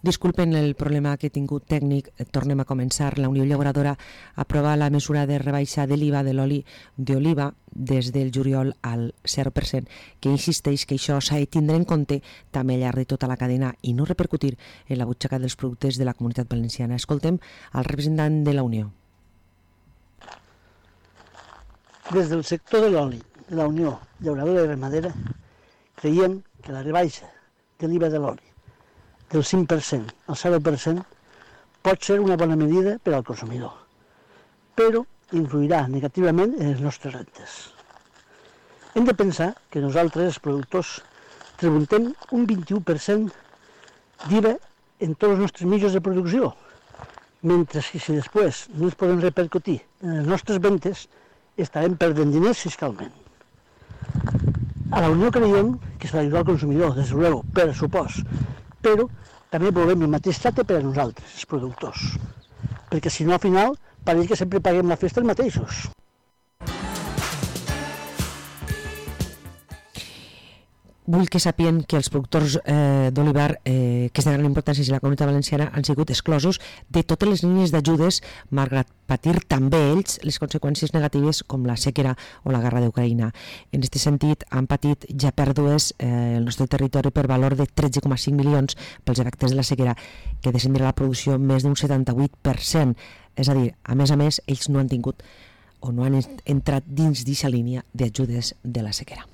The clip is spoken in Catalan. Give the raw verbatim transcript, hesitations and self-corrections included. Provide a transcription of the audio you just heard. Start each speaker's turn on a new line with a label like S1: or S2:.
S1: Disculpen el problema que he tingut tècnic, tornem a començar. La Unió Llauradora aprova la mesura de rebaixa de l'I V A de l'oli d'oliva des del juliol al zero per cent, que insisteix que això s'ha de tindre en compte també al llarg de tota la cadena i no repercutir en la butxaca dels productes de la Comunitat Valenciana. Escoltem al representant de la Unió.
S2: Des del sector de l'oli, de la Unió Llauradora i Ramadera, creiem que la rebaixa de l'I V A de l'oli del cinc per cent al zero per cent pot ser una bona medida per al consumidor, però influirà negativament en les nostres rentes. Hem de pensar que nosaltres, els productors, tributem un vint-i-u per cent d'I V A en tots els nostres mitjans de producció, mentre que si després no ens podem repercutir en les nostres ventes, estarem perdent diners fiscalment. A la Unió creiem que s'ha d'ajudar al consumidor, des de luego, per supost, però també volem el mateix tracte per a nosaltres, els productors, perquè si no al final pareix que sempre paguem la festa els mateixos.
S1: Vull que sàpien que els productors eh, d'olivar eh, que és de gran importància a la Comunitat Valenciana han sigut exclosos de totes les línies d'ajudes, malgrat patir també ells les conseqüències negatives com la sequera o la guerra d'Ucraïna. En aquest sentit, han patit ja pèrdues eh, el nostre territori per valor de tretze coma cinc milions pels efectes de la sequera, que descendirà la producció més d'un setanta-vuit per cent. És a dir, a més a més, ells no han tingut o no han entrat dins d'aquesta línia d'ajudes de la sequera.